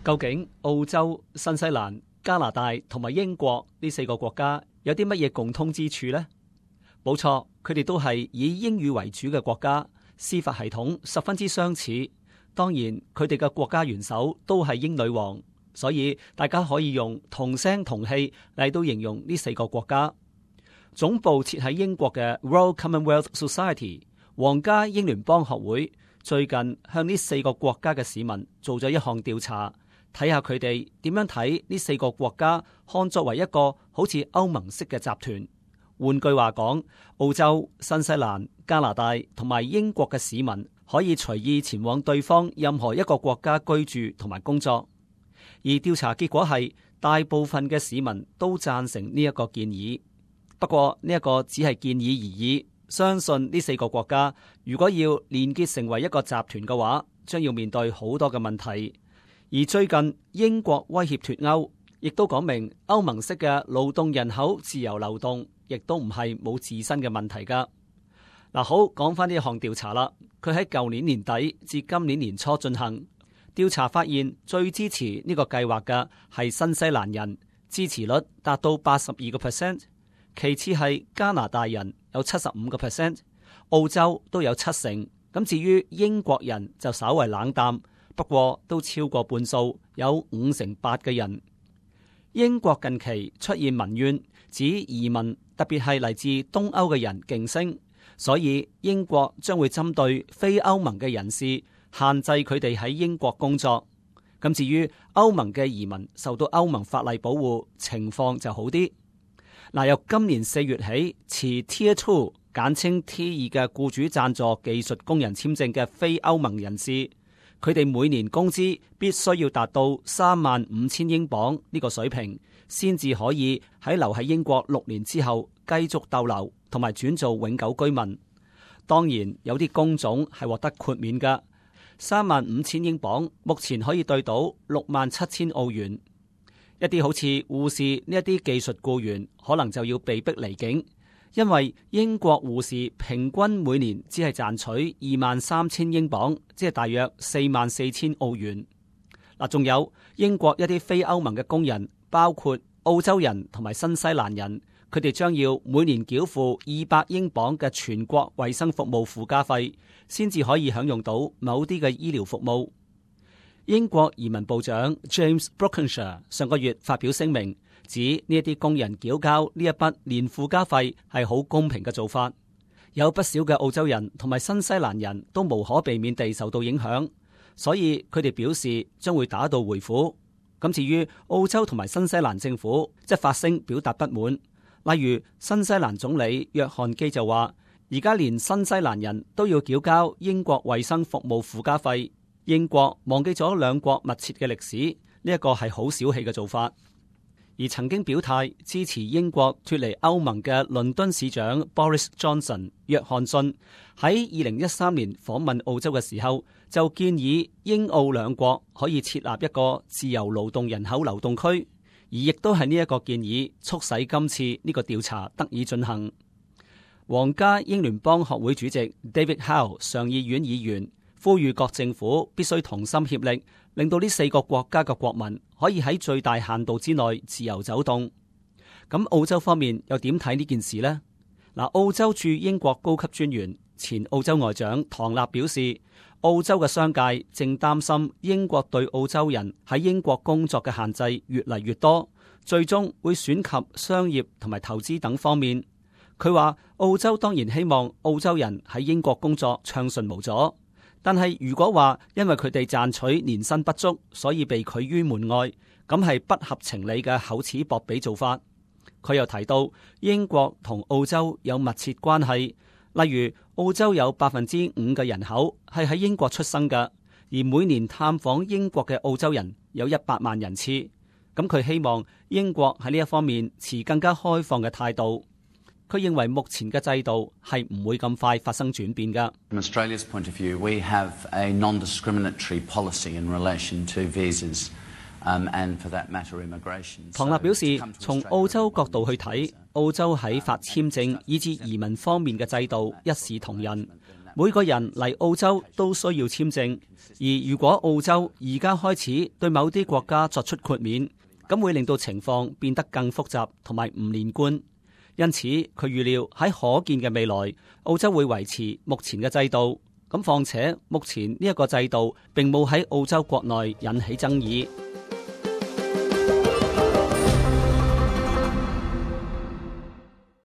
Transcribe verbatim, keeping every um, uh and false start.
究竟澳洲、新西蘭、加拿大同埋英國呢四個國家有啲乜嘢共通之處呢？冇錯，佢哋都係以英語為主嘅國家，司法系統十分之相似。當然，佢哋嘅國家元首都係英女王，所以大家可以用同聲同氣嚟到形容呢四個國家。總部設喺英國嘅 Royal Commonwealth Society 皇家英聯邦學會最近向呢四個國家嘅市民做咗一項調查，睇下佢哋點樣睇呢四個國家看作為一個好似歐盟式嘅集團。換句話講，澳洲、新西蘭、加拿大同埋英國嘅市民可以隨意前往對方任何一個國家居住同埋工作。而調查結果係大部分嘅市民都贊成呢一個建議。不過呢一個只係建議而已，相信呢四個國家如果要連結成為一個集團嘅話，將要面對好多嘅問題。而最近英國威脅脫歐，亦都講明歐盟式嘅勞動人口自由流動，亦都唔係冇自身嘅問題噶。嗱，好，講翻呢一項調查啦，佢喺舊年年底至今年年初進行調查，發現最支持呢個計劃嘅係新西蘭人，支持率達到八十二個 percent， 其次係加拿大人有七十五個 percent， 澳洲都有七成，咁至於英國人就稍為冷淡，不過都超過半數，有五成八嘅人。英國近期出現民怨，指移民特別係嚟自東歐嘅人勁升，所以英國將會針對非歐盟嘅人士，限制佢哋喺英國工作。咁至於歐盟嘅移民受到歐盟法例保護，情況就好啲。嗱，由今年四月起，持 Tier Two 簡稱 T 二嘅僱主贊助技術工人簽證嘅非歐盟人士，佢哋每年工資必須要達到三萬五千英鎊呢個水平，先至可以喺留喺英國六年之後繼續逗留同埋轉做永久居民。當然有啲工種係獲得豁免㗎，三萬五千英鎊目前可以兌到六萬七千澳元。一啲好似護士呢一啲技術僱員可能就要被逼離境，因為英國護士平均每年只係賺取二萬三千英鎊，即係大約四萬四千澳元。嗱，仲有英國一啲非歐盟嘅工人，包括澳洲人同埋新西蘭人，佢哋將要每年繳付二百英鎊嘅全國衛生服務附加費，先至可以享用到某啲嘅醫療服務。英國移民部長 James Brokenshire 上個月發表聲明，指呢一啲工人繳交呢一筆年附加費係好公平嘅做法。有不少嘅澳洲人同埋新西蘭人都無可避免地受到影響，所以佢哋表示將會打道回府。咁至於澳洲同埋新西蘭政府，即發聲表達不滿。例如新西蘭總理約翰基就話，而家連新西蘭人都要繳交英國衛生服務附加費。英國忘記咗兩國密切嘅歷史，呢一個係好小氣嘅做法。而曾經表態支持英國脫離歐盟嘅倫敦市長 Boris Johnson 約翰遜喺二零一三年訪問澳洲嘅時候，就建議英澳兩國可以設立一個自由勞動人口流動區，而亦都係呢一個建議促使今次呢個調查得以進行。皇家英聯邦學會主席 David Howe 上議院議員呼籲各政府必須同心協力，令到呢四個國家嘅國民可以喺最大限度之內自由走動。咁澳洲方面又點睇呢件事呢？嗱，澳洲駐英國高級專員前澳洲外長唐納表示，澳洲嘅商界正擔心英國對澳洲人喺英國工作嘅限制越嚟越多，最終會損及商業同埋投資等方面。佢話澳洲當然希望澳洲人喺英國工作暢順無阻。但係如果話因為佢哋賺取年薪不足，所以被拒於門外，咁係不合情理嘅厚此薄彼做法。佢又提到英國同澳洲有密切關係，例如澳洲有百分之五嘅人口係喺英國出生嘅，而每年探訪英國嘅澳洲人有一百萬人次。咁佢希望英國喺呢一方面持更加開放嘅態度。佢認為目前嘅制度係唔會咁快發生轉變㗎。From Australia's point of view, we have a non-discriminatory policy in relation to visas, um, and for that matter, immigration. 唐納表示，從澳洲角度去睇，澳洲喺發簽證以至移民方面嘅制度一視同仁。每個人嚟澳洲都需要簽證，而如果澳洲而家開始對某啲國家作出豁免，咁會令到情況變得更複雜同埋唔連貫。因此，佢預料喺可見嘅未來，澳洲會維持目前嘅制度。咁況且目前呢一個制度並冇喺澳洲國內引起爭議。